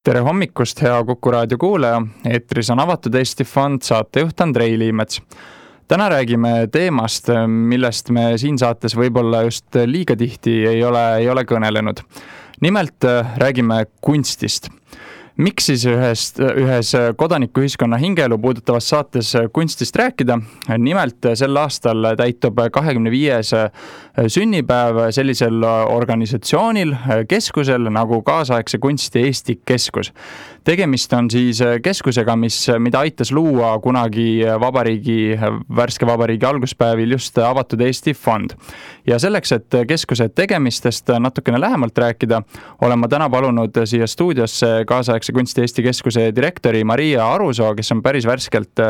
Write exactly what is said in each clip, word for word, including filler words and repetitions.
Tere hommikust, hea Kuku raadio kuulaja. Eetris on Avatud Eesti Fond, saatejuht Andrei Liimets. Täna räägime teemast, millest me siin saates võib-olla just liiga tihti ei ole, ei ole kõnelenud. Nimelt räägime kunstist. Miks siis ühest, ühes kodanikuühiskonna hingeelu puudutavas saates kunstist rääkida? Nimelt sel aastal täitub kahekümne viies sünnipäev sellisel organisatsioonil, keskusel nagu Kaasaegse kunsti Eesti keskus. Tegemist on siis keskusega, mis, mida aitas luua kunagi vabariigi, värske vabariigi alguspäevil just Avatud Eesti Fond. Ja selleks, et keskuse tegemistest natukene lähemalt rääkida, olen ma täna palunud siia stuudiosse Kaasaegse kunsti Eesti keskuse direktori Maria Arusoo, kes on päris värskelt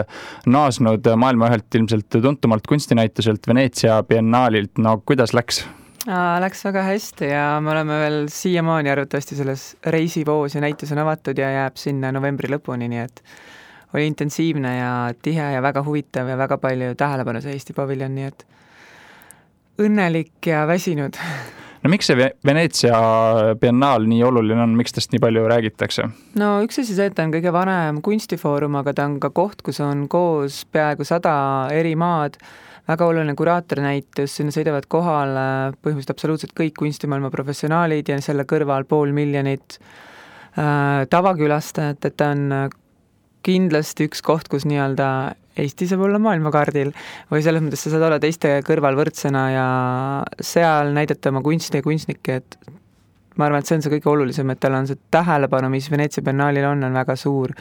naasnud maailma ühelt ilmselt tuntumalt kunstinäituselt Veneetsia biennaalilt. No kuidas läks? Läks väga hästi ja me oleme veel siiamaani arvatavasti selles reisivoos ja näitus on avatud ja jääb sinna novembri lõpuni, nii et oli intensiivne ja tihe ja väga huvitav ja väga palju tähelepanu see Eesti paviljon, nii et õnnelik ja väsinud. No miks see Veneetsia biennaal nii oluline on, miks tast nii palju räägitakse? No üks asi see, et ta on kõige vanem kunstifoorum, aga ta on ka koht, kus on koos peaaegu sada eri maad, väga oluline kuraatornäitus, sinna sõidavad kohal põhimõtteliselt absoluutselt kõik kunstimaailma professionaalid ja selle kõrval pool miljonit äh, tavakülastajat, et ta on kindlasti üks koht, kus nii-öelda Eesti saab olla maailmakaardil või selles mõttes sa saad olla teiste kõrval võrdsena ja seal näidata oma kunsti ja kunstnikke, et ma arvan, et see on see kõige olulisem, et tal on see tähelepanu, mis Veneetsia biennaalil on, on väga suur.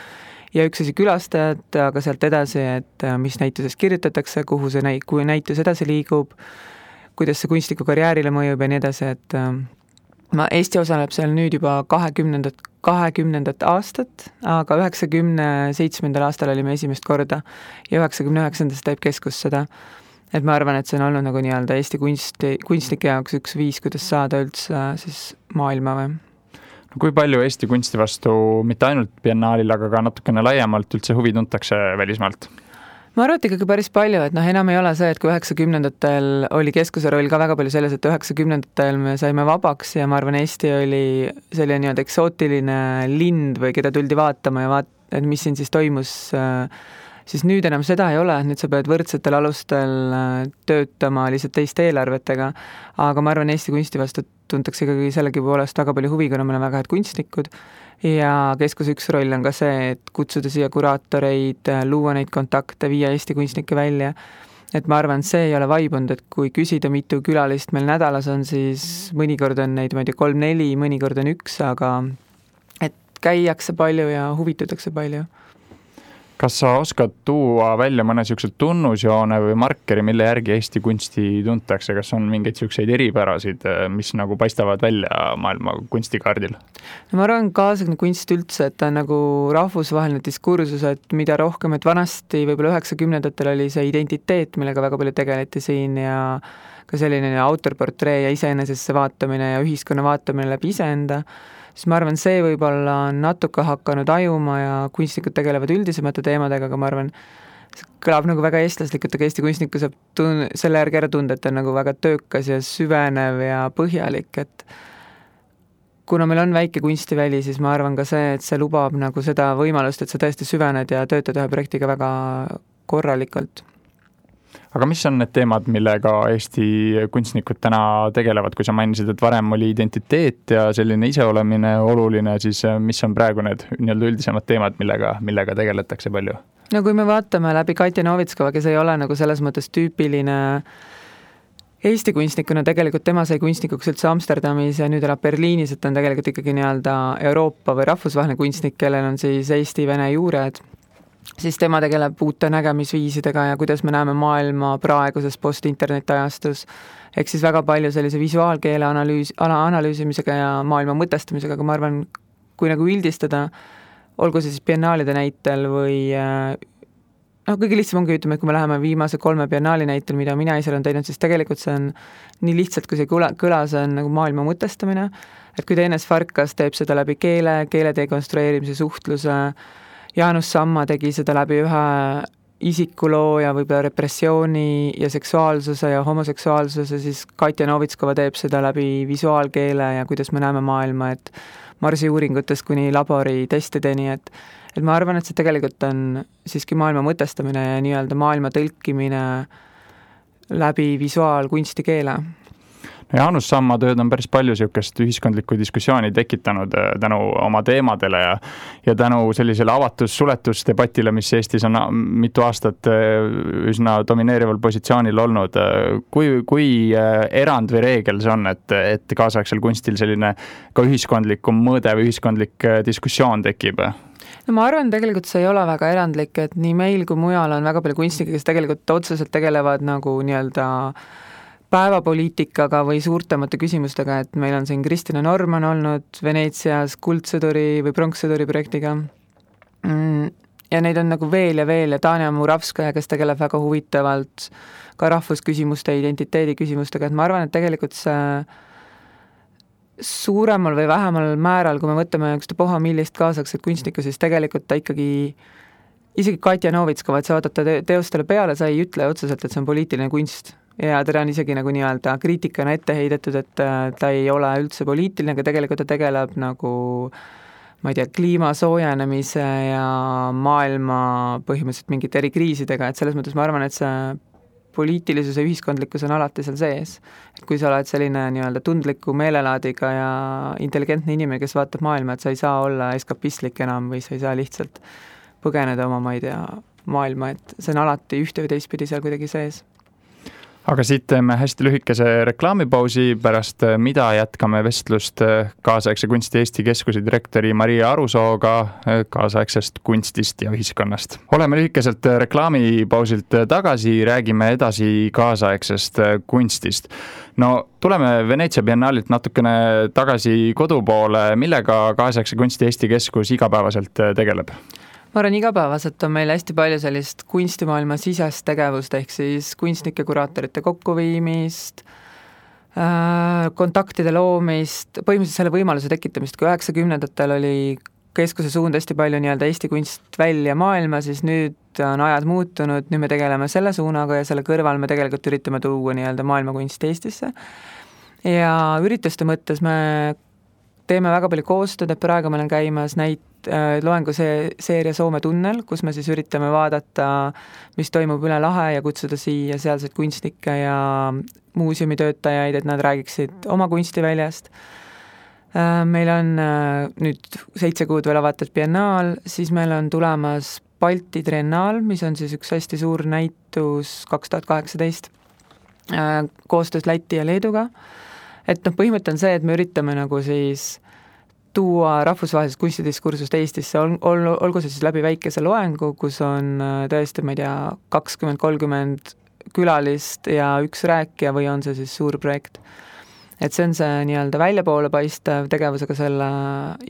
Ja üks asi külastajad, aga sealt edasi, et mis näitusest kirjutatakse, kuhu see näit, kui näitus edasi liigub, kuidas see kunstniku karjäärile mõjub ja nii edasi, et ma, Eesti osaleb seal nüüd juba kahekümnendat, kahekümnendat aastat, aga üheksakümne seitsmendal aastal olime esimest korda ja üheksakümne üheksandast teeb keskus seda. Et ma arvan, et see on olnud nagu nii-öelda Eesti kunsti, kunstnike jaoks üks viis, kuidas saada üldse siis maailma või. Kui palju Eesti kunsti vastu mitte ainult biennaalil, aga ka natukene laiemalt üldse huvi tuntakse välismaalt? Ma arvan, et ikkagi päris palju, et noh, enam ei ole see, et kui üheksakümnendatel oli keskuse roll ka väga palju selles, et üheksakümnendatel me saime vabaks ja ma arvan, Eesti oli selline nii-öelda eksootiline lind või keda tuldi vaatama ja vaat-, et mis siin siis toimus, siis nüüd enam seda ei ole, nüüd sa pead võrdsetel alustel töötama lihtsalt teiste eelarvetega, aga ma arvan, Eesti kunsti vastu tuntakse ikkagi sellegi poolest väga palju huvi, kuna meil on väga head kunstnikud ja keskuse üks roll on ka see, et kutsuda siia kuraatoreid, luua neid kontakte, viia Eesti kunstnikke välja. Et ma arvan, see ei ole vaibunud, et kui küsida mitu külalist meil nädalas on, siis mõnikord on neid, ma ei tea, kolm-neli, mõnikord on üks, aga et käiakse palju ja huvitatakse palju. Kas sa oskad tuua välja mõne siuksed tunnusjoone või markeri, mille järgi Eesti kunsti tuntakse? Kas on mingeid siukseid eripärasid, mis nagu paistavad välja maailma kunstikaardil? No ma arvan, kaasaegne kunst üldse, et ta on nagu rahvusvaheline diskursus, et mida rohkem, et vanasti võib-olla üheksakümnendatel oli see identiteet, millega väga palju tegeleti siin ja ka selline autorportree ja iseenesesse vaatamine ja ühiskonna vaatamine läbi iseenda, siis ma arvan, see võib-olla on natuke hakanud ajuma ja kunstnikud tegelevad üldisemate teemadega, aga ma arvan, see kõlab nagu väga eestlaslikult, aga Eesti kunstniku saab tun- selle järgi ära tunda, et ta on nagu väga töökas ja süvenev ja põhjalik, et kuna meil on väike kunstiväli, siis ma arvan ka see, et see lubab nagu seda võimalust, et sa tõesti süvened ja töötad ühe projektiga väga korralikult. Aga mis on need teemad, millega Eesti kunstnikud täna tegelevad, kui sa mainisid, et varem oli identiteet ja selline iseolemine oluline, siis mis on praegu need nii-öelda üldisemad teemad, millega, millega tegeletakse palju? No kui me vaatame läbi Katja Novitskova, kes ei ole nagu selles mõttes tüüpiline Eesti kunstnikuna, tegelikult tema sai kunstnikuks üldse Amsterdamis ja nüüd elab Berliinis, et on tegelikult ikkagi nii-öelda Euroopa või rahvusvaheline kunstnik, kellel on siis Eesti-Vene juured, siis tema tegeleb uute nägemisviisidega ja kuidas me näeme maailma praeguses post-interneti ajastus. Ehk siis väga palju sellise visuaalkeele analüüs, analüüsimisega ja maailma mõtestamisega, aga ma arvan, kui nagu üldistada, olgu see siis biennaalide näitel või no kõige lihtsam ongi ütlema, et kui me läheme viimase kolme biennaali näitel, mida mina ise olen teinud, siis tegelikult see on nii lihtsalt, kui see kõla, kõla see on nagu maailma mõtestamine, et kui Teines Farkas teeb seda läbi keele, keele dekonstrueerimise, suhtluse, Jaanus Samma tegi seda läbi ühe isikuloo ja võib-olla repressiooni ja seksuaalsuse ja homoseksuaalsuse, siis Katja Novitskova teeb seda läbi visuaalkeele ja kuidas me näeme maailma, et marsiuuringutest kuni laboritestideni, et et ma arvan, et see tegelikult on siiski maailma mõtestamine ja nii-öelda maailma tõlkimine läbi visuaalkunsti keele. Jaanus Samma tööd on päris palju niisugust ühiskondlikku diskussiooni tekitanud tänu oma teemadele ja, ja tänu sellisele avatus-suletusdebatile, mis Eestis on mitu aastat üsna domineerival positsioonil olnud. Kui, kui erand või reegel see on, et, et kaasaegsel kunstil selline ka ühiskondlikum mõõde või ühiskondlik diskussioon tekib? No ma arvan, tegelikult see ei ole väga erandlik, et nii meil kui mujal on väga palju kunstnikke, kes tegelikult otseselt tegelevad nagu nii-öelda päevapoliitikaga või suurtemate küsimustega, et meil on siin Kristina Norman olnud Veneetsias kuldsõduri või pronkssõduri projektiga. Ja neid on nagu veel ja veel ja Tanja Muravskaja, kes tegeleb väga huvitavalt ka rahvusküsimuste, identiteedi küsimustega, et ma arvan, et tegelikult see suuremal või vähemal määral, kui me võtame üks poha millist kaasakset kunstnikku, siis tegelikult ta ikkagi, isegi Katja Novitskova, et sa vaatad ta teostele peale, sa ei ütle otseselt, et see on poliitiline kunst. Ja teda on isegi nagu nii-öelda kriitikana ette heidetud, et ta ei ole üldse poliitiline, aga tegelikult ta tegeleb nagu, ma ei tea, kliima soojenemise ja maailma põhimõtteliselt mingite eri kriisidega, et selles mõttes ma arvan, et see poliitilisus ja ühiskondlikkus on alati seal sees. Et kui sa oled selline nii-öelda tundliku meelelaadiga ja intelligentne inimene, kes vaatab maailma, et sa ei saa olla eskapistlik enam või sa ei saa lihtsalt põgeneda oma, ma ei tea, maailma, et see on alati ühte või teistpidi seal kuidagi sees. Aga siit teeme hästi lühikese reklaamipausi, pärast mida jätkame vestlust kaasaegse kunsti Eesti Keskuse direktori Maria Arusooga kaasaegsest kunstist ja ühiskonnast. Oleme lühikeselt reklaamipausilt tagasi, räägime edasi kaasaegsest kunstist. No tuleme Veneetsia biennaalilt natukene tagasi kodupoole, millega kaasaegse kunsti Eesti Keskus igapäevaselt tegeleb? Ma arvan, igapäevaselt on meil hästi palju sellist kunstimaailma sisest tegevust, ehk siis kunstnike kuraatorite kokkuviimist, kontaktide loomist, põhimõtteliselt selle võimaluse tekitamist, kui üheksakümnendatel oli keskuse suund hästi palju nii-öelda Eesti kunst välja maailma, siis nüüd on ajad muutunud, nüüd me tegeleme selle suunaga ja selle kõrval me tegelikult üritame tuua nii-öelda maailmakunst Eestisse. Ja ürituste mõttes me teeme väga palju koostööd, et praegu meil on käimas näit loengu see seeria Soome tunnel, kus me siis üritame vaadata, mis toimub üle lahe ja kutsuda siia sealseid kunstnikke ja muuseumitöötajaid, et nad räägiksid oma kunstiväljast. Meil on nüüd seitse kuud veel avatud biennaal, siis meil on tulemas Balti triennaal, mis on siis üks hästi suur näitus kaks tuhat kaheksateist koostöös Läti ja Leeduga. Et noh, põhimõte on see, et me üritame nagu siis tuua rahvusvahelisest kunstidiskursust Eestisse, ol, ol, olgu see siis läbi väikese loengu, kus on tõesti, ma ei tea, kakskümmend kolmkümmend külalist ja üks rääkija või on see siis suur projekt. Et see on see nii-öelda väljapoole paistev tegevus, aga selle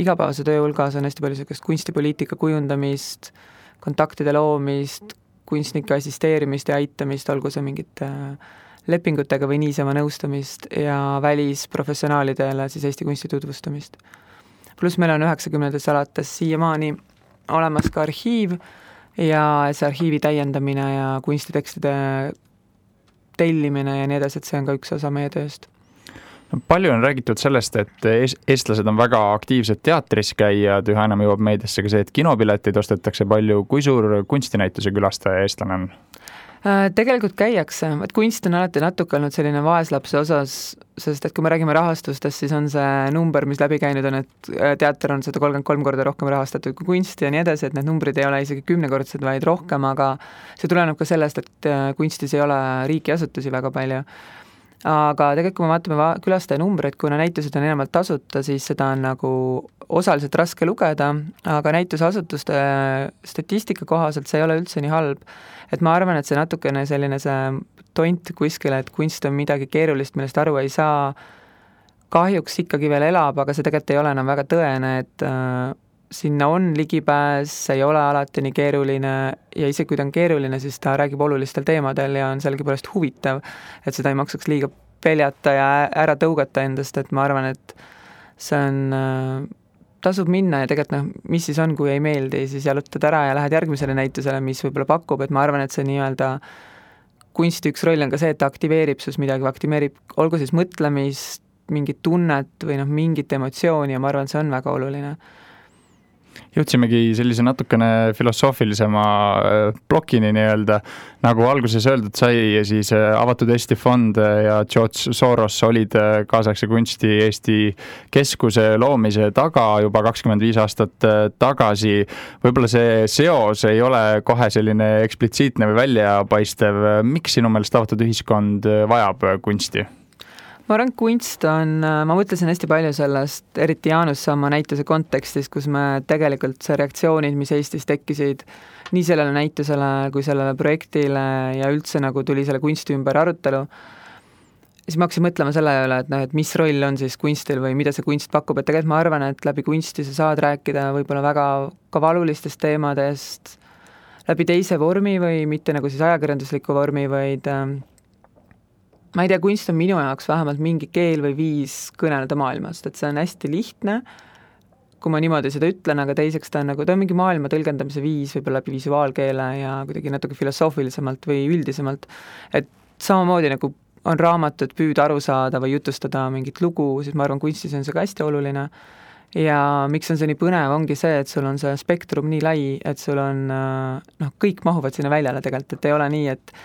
igapäevase töö hulgas on hästi palju sellist kunstipoliitika kujundamist, kontaktide loomist, kunstnike assisteerimist ja aitamist, olgu see mingite lepingutega või niisama nõustamist ja välisprofessionaalidele siis Eesti kunsti tutvustamist. Pluss meil on üheksakümnendates alates siiamaani olemas ka arhiiv ja see arhiivi täiendamine ja kunstitekstide tellimine ja nii edasi, et see on ka üks osa meie tööst. Palju on räägitud sellest, et eestlased on väga aktiivsed teatris käijad, üha enam jõuab meediasse ka see, et kinopileteid ostetakse palju. Kui suur kunstinäituse külastaja eestlane on? Tegelikult käiakse, et kunst on alati natuke olnud selline vaeslapse osas, sest et kui me räägime rahastustest, siis on see number, mis läbi käinud on, et teater on sada kolmkümmend kolm korda rohkem rahastatud kui kunst ja nii edasi, et need numbrid ei ole isegi kümnekordsed, vaid rohkem, aga see tuleneb ka sellest, et kunstis ei ole riigiasutusi väga palju. Aga tegelikult, kui me vaatame külastaja numbreid, kuna näitused on enamalt tasuta, siis seda on nagu osaliselt raske lugeda, aga näitusasutuste statistika kohaselt see ei ole üldse nii halb. Et ma arvan, et see natukene selline see tont kuskile, et kunst on midagi keerulist, millest aru ei saa, kahjuks ikkagi veel elab, aga see tegelikult ei ole enam väga tõene, et äh, sinna on ligipääs, see ei ole alati nii keeruline ja isegi kui ta on keeruline, siis ta räägib olulistel teemadel ja on sellegipärast huvitav, et seda ei maksaks liiga peljata ja ära tõugata endast, et ma arvan, et see on, äh, tasub minna ja tegelikult noh, mis siis on, kui ei meeldi, siis jalutad ära ja lähed järgmisele näitusele, mis võib-olla pakub, et ma arvan, et see nii-öelda kunsti üks roll on ka see, et ta aktiveerib sus midagi, aktiveerib olgu siis mõtlemist, mingit tunnet või noh, mingit emotsiooni ja ma arvan, see on väga oluline. Jõudsimegi sellise natukene filosoofilisema plokini nii-öelda, nagu alguses öeldud sai, ja siis Avatud Eesti Fond ja George Soros olid kaasaegse kunsti Eesti keskuse loomise taga juba kakskümmend viis aastat tagasi. Võib-olla see seos ei ole kohe selline eksplitsiitne või väljapaistev. Miks sinu meelest avatud ühiskond vajab kunsti? Ma arvan, kunst on, ma mõtlesin hästi palju sellest, eriti Jaanus sama näituse kontekstis, kus me tegelikult see reaktsioonid, mis Eestis tekkisid nii sellele näitusele kui sellele projektile ja üldse nagu tuli selle kunsti ümber arutelu, siis ma hakkasin mõtlema selle üle, et, noh, et mis roll on siis kunstil või mida see kunst pakub, et tegelikult ma arvan, et läbi kunsti sa saad rääkida võib-olla väga ka valulistest teemadest läbi teise vormi või mitte nagu siis ajakirjandusliku vormi, vaid ma ei tea, kunst on minu jaoks vähemalt mingi keel või viis kõneleda maailmast, et see on hästi lihtne, kui ma niimoodi seda ütlen, aga teiseks ta on nagu, ta on mingi maailma tõlgendamise viis võib-olla läbi visuaalkeele ja kuidagi natuke filosoofilisemalt või üldisemalt, et samamoodi nagu on raamatud püüda aru saada või jutustada mingit lugu, siis ma arvan, kunstis on see ka hästi oluline ja miks on see nii põnev, ongi see, et sul on see spektrum nii lai, et sul on, noh, kõik mahuvad sinna väljale tegelikult, et ei ole nii, et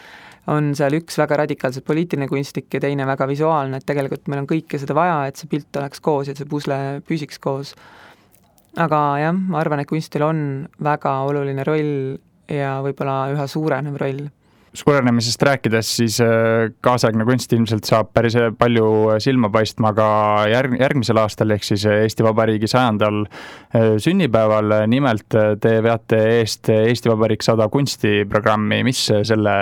on seal üks väga radikaalselt poliitiline kunstnik ja teine väga visuaalne, et tegelikult meil on kõike seda vaja, et see pilt oleks koos ja see pusle püsiks koos. Aga jah, ma arvan, et kunstil on väga oluline roll ja võib-olla üha suurenev roll. Suurenemisest rääkides, siis kaasaegne kunst ilmselt saab päris palju silma paistma ka järg, järgmisel aastal, ehk siis Eesti Vabariigi sajandal sünnipäeval. Nimelt te veate eest Eesti Vabariik sada kunstiprogrammi. Mis selle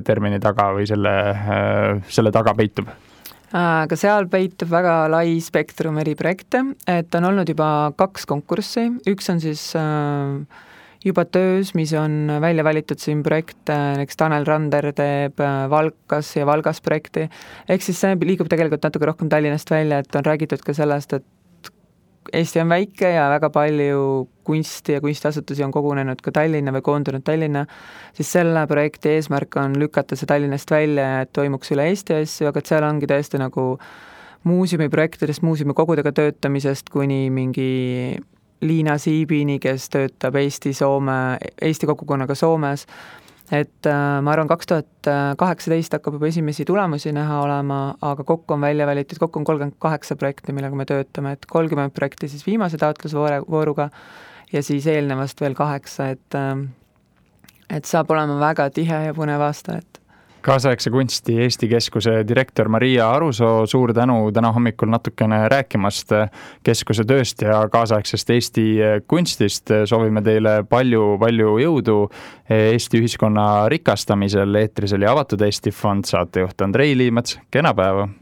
termini taga või selle, selle taga peitub? Aga seal peitub väga lai spektrum eri projekte, et on olnud juba kaks konkurssi. Üks on siis juba töös, mis on välja valitud siin projekte, näiteks Tanel Rander teeb Valkas ja Valgas projekti, ehk siis see liigub tegelikult natuke rohkem Tallinnast välja, et on räägitud ka sellest, et Eesti on väike ja väga palju kunsti ja kunstiasutusi on kogunenud ka Tallinna või koondunud Tallinna, siis selle projekti eesmärk on lükata see Tallinnast välja ja et toimuks üle Eesti asju, aga et seal ongi tõesti nagu muuseumiprojektidest, muuseumikogudega töötamisest kuni mingi Liina Siibini, kes töötab Eesti, Soome, Eesti kogukonnaga Soomes, et ma arvan, kaks tuhat kaheksateist hakkab juba esimesi tulemusi näha olema, aga kokku on välja valitud, kokku on kolmkümmend kaheksa projekti, millega me töötame, et kolmkümmend projekti siis viimase taotlusvooruga ja siis eelnevast veel kaheksa, et, et saab olema väga tihe ja põnev aasta, et Kaasaegse kunsti Eesti Keskuse direktor Maria Arusoo, suur tänu täna hommikul natukene rääkimast keskuse tööst ja kaasaegsest Eesti kunstist. Soovime teile palju, palju jõudu Eesti ühiskonna rikastamisel. Eetris oli Avatud Eesti Fond, saatejuht Andrei Liimets. Kena päeva!